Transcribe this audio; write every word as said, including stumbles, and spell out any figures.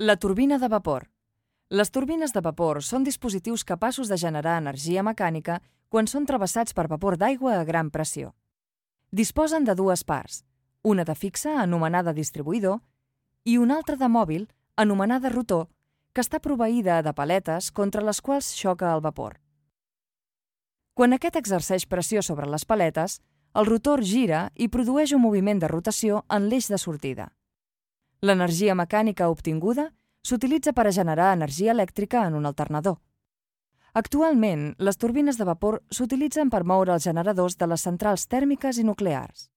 La turbina de vapor. Les turbines de vapor són dispositius capaços de generar energia mecànica quan són travessats per vapor d'aigua a gran pressió. Disposen de dues parts, una de fixa, anomenada distribuïdor, i una altra de mòbil, anomenada rotor, que està proveïda de paletes contra les quals xoca el vapor. Quan aquest exerceix pressió sobre les paletes, el rotor gira i produeix un moviment de rotació en l'eix de sortida. L'energia mecànica obtinguda s'utilitza per a generar energia elèctrica en un alternador. Actualment, les turbines de vapor s'utilitzen per moure els generadors de les centrals tèrmiques i nuclears.